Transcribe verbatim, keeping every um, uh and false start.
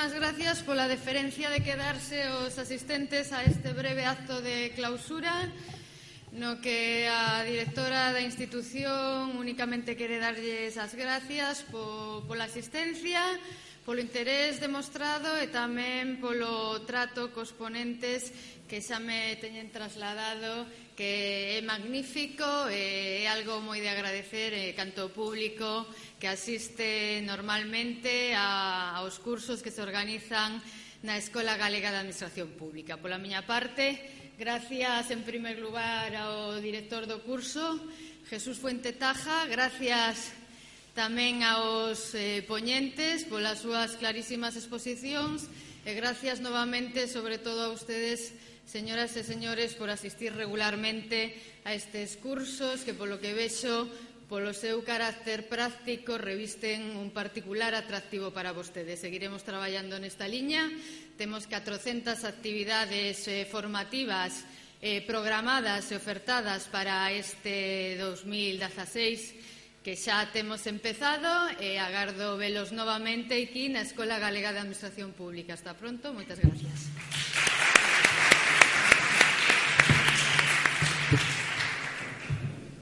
moitísimas gracias pola deferencia de quedarse os asistentes a este breve acto de clausura, no que a directora da institución únicamente quere darlles as gracias po, pola asistencia, polo interés demostrado e tamén polo trato cos ponentes que xa me teñen trasladado, que é magnífico e é algo moi de agradecer eh, canto público que asiste normalmente a, aos cursos que se organizan na Escola Galega de Administración Pública. Pola miña parte, gracias en primer lugar ao director do curso, Jesús Fuente Taja, gracias tamén aos eh, poñentes polas súas clarísimas exposicións e gracias novamente, sobre todo a ustedes, señoras e señores, por asistir regularmente a estes cursos que, polo que vexo, polo seu carácter práctico, revisten un particular atractivo para vostedes. Seguiremos traballando nesta liña. Temos catrocentas actividades eh, formativas eh, programadas e ofertadas para este dos mil dezaseis que xa temos empezado e agardo velos novamente aquí na Escola Galega de Administración Pública. Hasta pronto, moitas gracias.